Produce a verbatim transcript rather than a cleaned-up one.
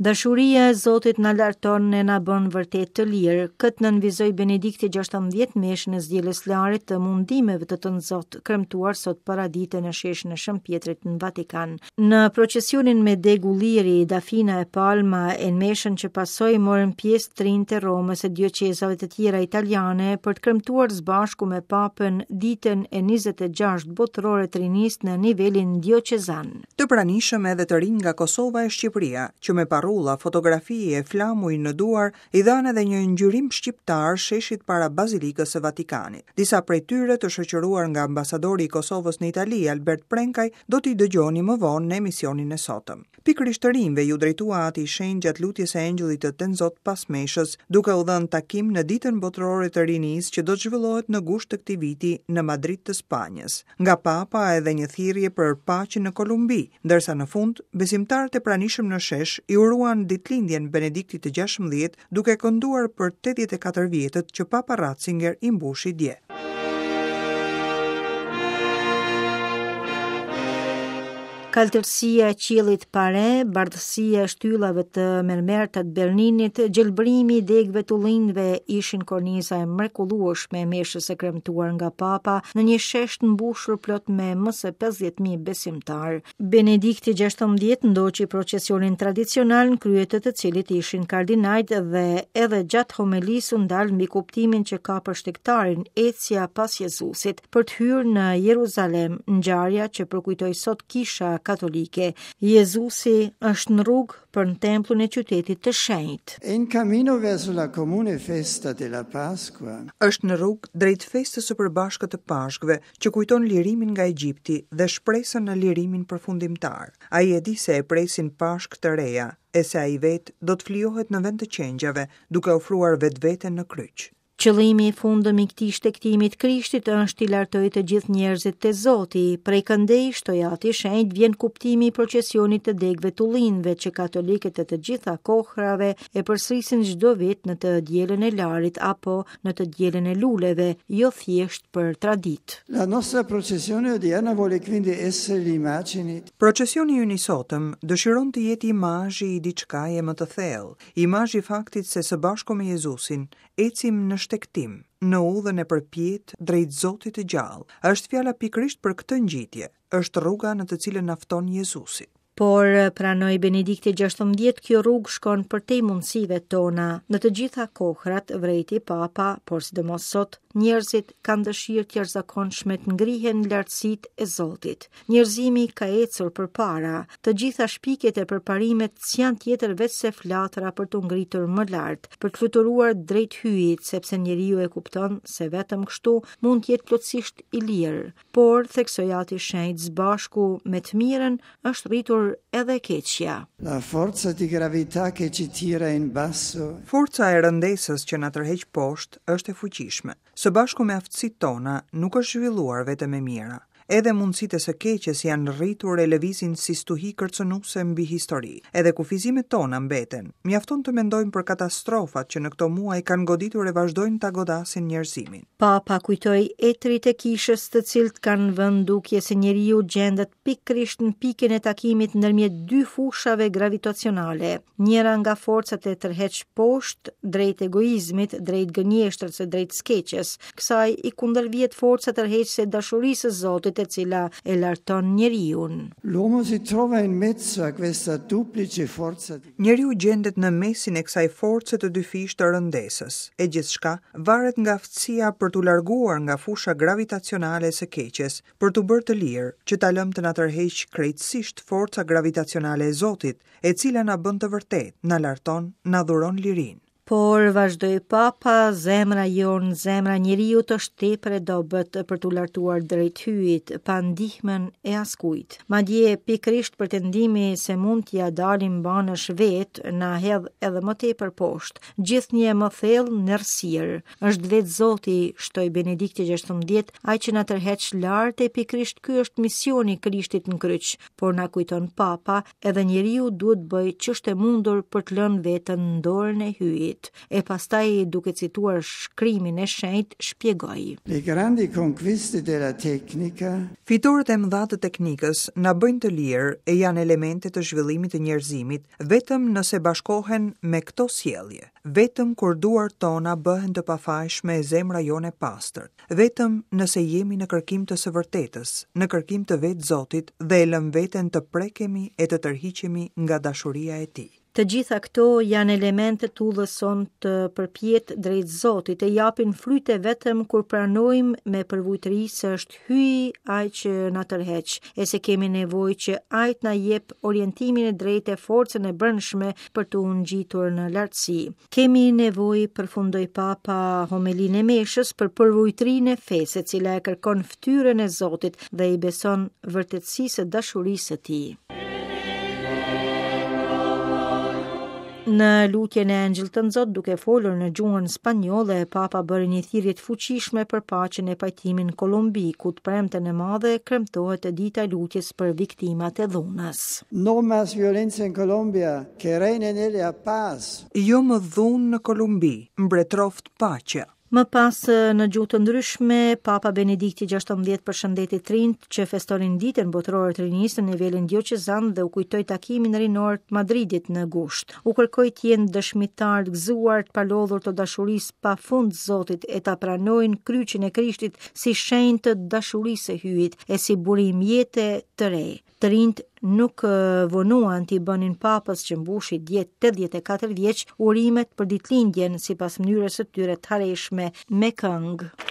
Dashuria e Zotit na larton e na bën vërtet të lirë. Këtë nënvizoi Benedikti gjashtëmbëdhjetë meshën e së dielës larit të mundimeve të Tënzot, kremtuar sot paradite në sheshin e Shën Pjetrit në Vatikan. Në procesionin me degë ulliri, dafina e palma e në meshën që pasoi morën pjesë të rinjtë e Romës e dioqezave të tjera italiane për të kremtuar së bashku me Papën ditën e njëzet e gjashtë botërore të rinisë në nivelin dioqezan. Të pranishëm edhe të rinj nga Kosova e Shqipëria, që me parrulla, fotografi e flamuj në duar i dhanë edhe një ngjyrim shqiptar sheshit para Bazilikës së Vatikanit. Disa prej tyre të shoqëruar nga ambasadori i Kosovës në Itali, Albert Prenkaj, do t'i dëgjoni më vonë në emisionin e sotëm. Pikërisht të rinjve ju drejtua Ati i Shenjtë gjatë lutjes së Engjëllit të Tenzot pas meshës, duke u dhënë takim në ditën botërore të rinisë që do të zhvillohet në gusht të këtij viti në Madrid të Spanjës. Nga Papa edhe një thirrje për paqen në Kolumbi, ndërsa në fund besimtarët e pranishëm në shesh i uruan ditëlindjen Benediktit të gjashtëmbëdhjetë duke kënduar për tetëdhjetë e katër vjetët që Papa Ratzinger i mbushi dje. Kaltërsia e qiellit pare, bardhësia e shtyllave të mermerta të Berninit, gjelbrimi i degëve të ullinjve ishin korniza e mrekullueshme e meshës së kremtuar nga Papa në një shesh të mbushur plot me më se pesëdhjetë mijë besimtar. Benedikti gjashtëmbëdhjetë ndoqi procesionin tradicional në krye të të cilit ishin kardinajt dhe edhe gjatë homelisë u ndal mbi kuptimin që ka për shtegtarin ecja pas Jezusit për të hyrë në Jeruzalem, ngjarja që përkujtoi sot kisha katolike. Jezusi është në rrugë për në templin e qytetit të shenjtë. In cammino verso la comune festa della Pasqua. Është në rrugë drejt festës së përbashkët të Pashkëve, që kujton lirimin nga Egjipti dhe shpresën në lirimin përfundimtar. Ai e di se e presin Pashkë të reja, e se ai vetë do të flijohet në vend të qengjave, duke ofruar vetveten në kryq. Qëllimi i fundëm i këtij shtegtimi të Krishtit është t'i lartojë të gjithë njerëzit te Zoti. Prej këndej, shtoi Ati i Shenjtë, vjen kuptimi i procesionit të degëve të ullinjve që katolikët e të gjitha kohrave e përsërisin çdo vit në të dielën e larit apo në të dielën e luleve, jo thjesht për traditë. La nostra processione odierna vuole quindi essere l'immagine. Procesioni ynë i sotëm dëshiron të jetë imazhi i diçkaje më të thellë, imazhi i faktit se së bashku me Jezusin ecim në shtegtim, në udhën e përpjetë drejt Zotit të gjallë. Është fjala pikërisht për këtë ngjitje, është rruga në të cilën na fton Jezusi. Por pranoi Benedikti gjashtëmbëdhjetë, kjo rrugë shkon përtej mundësive tona. Në të gjitha kohrat, vrejti Papa, por sidomos sot, njerëzit kanë dëshirë të jashtëzakonshme të ngrihen në lartësitë e Zotit. Njerëzimi ka ecur përpara, të gjitha shpikjet e përparimet s'janë tjetër veç se flatra për t'u ngritur më lart, për të fluturuar drejt hyjit, sepse njeriu e kupton se vetëm kështu mund të jetë plotësisht i lirë. Por, theksoi Ati i Shenjtë, së bashku me të mirën është rritur edhe keqja. La forza di gravità che ci tira in basso. Forca e rëndesës që na tërheq poshtë është e fuqishme. Së bashku me aftësitë tona nuk është zhvilluar vetëm e mira. Edhe mundësitë e së keqes janë rritur e lëvizin si stuhi kërcënuese mbi histori. Edhe kufizimet tona mbeten. Mjafton të mendojmë për katastrofat që në këto muaj kanë goditur e vazhdojnë ta godasin njerëzimin. Papa kujtoi etrit e kishës, të cilët kanë vënë dukje se njeriu gjendet pikërisht në pikën e takimit ndërmjet dy fushave gravitacionale. Njëra nga forcat e tërheq poshtë drejt egoizmit, drejt gënjeshtrës e drejt skeqes. Kësaj i kundërvihet forca tërheqëse e dashurisë së Zotit, e cila e larton njeriun. L'uomo si trova in mezzo a questa duplice forza di Njeriu gjendet në mesin e kësaj force të dyfishtë të rëndesës, e gjithçka varet nga aftësia për t'u larguar nga fusha gravitacionale e së keqes, për t'u bërë të lirë, që ta lëmë të na tërheq krejtësisht forca gravitacionale e Zotit, e cila na bën të vërtetë, na larton, na dhuron lirinë. Por, vazhdoi Papa, zemra jonë, zemra e njeriut është tepër e dobët për t'u lartuar drejt hyjit, pa ndihmën e askujt. Madje, pikërisht pretendimi se mund t'ia dalim banësh vet, na hedh edhe më tepër poshtë, gjithnjë më thellë në errësirë. Është vetë Zoti, shtoi Benedikti gjashtëmbëdhjetë, ai që na tërheq lart e pikërisht ky është misioni i Krishtit në kryq, por na kujton Papa, edhe njeriu duhet bëjë ç'është e mundur për të lënë veten në dorën e hyjit. Hyjit. E pastaj duke cituar shkrimin e shenjtë shpjegoi. Le grandi conquiste della tecnica Fitoret e mëdha të teknikës na bëjnë të lirë e janë elemente të zhvillimit të njerëzimit vetëm nëse bashkohen me këto sjellje, vetëm kur duart tona bëhen të pafajshme e zemra jonë e pastër, vetëm nëse jemi në kërkim të së vërtetës, në kërkim të vetë Zotit dhe e lëm veten të prekemi e të tërhiqemi nga dashuria e tij. Të gjitha këto janë elemente të udhës sonë të përpjetë drejt Zotit e japin fryte vetëm kur pranojmë me përvujtëri se është Hyji ai që na tërheq, e se kemi nevojë që ai të na jep orientimin e drejtë e forcën e brendshme për të u ngjitur në lartësi. Kemi nevojë, përfundoi Papa homelinë e meshës, për përvujtërinë e fesë, e cila e kërkon fytyrën e Zotit dhe i beson vërtetësisë së dashurisë së tij. Në lutjen e Engjëll të Nxot, duke folur në gjuhën spanjolle, Papa bëri një thirrje të fuqishme për paqen e pajtimin në Kolumbi, ku të premten e madhe kremtohet dita e lutjes për viktimat e dhunës. No más violenza in Colombia, che reine en ella paz. Jo më dhunë në Kolumbi, mbretroft paqja. Më pas, në gjuhë të ndryshme, Papa Benedikti gjashtëmbëdhjetë përshëndeti të rinjt që festonin ditën botërore të rinisë në nivelin dioqezan dhe u kujtoi takimin rinor të Madridit në gusht. U kërkoi të jenë dëshmitar të gëzuar, të palodhur të dashurisë pafund Zotit e ta pranojnë kryqin e Krishtit si shenjë të dashurisë së Hyjit e si burim jete të re. Të rinjt nuk vonuan t'i bënin papës që mbushi dje tetëdhjetë e katër vjeç urimet për ditëlindjen sipas mënyrës së tyre të hareshme me këngë.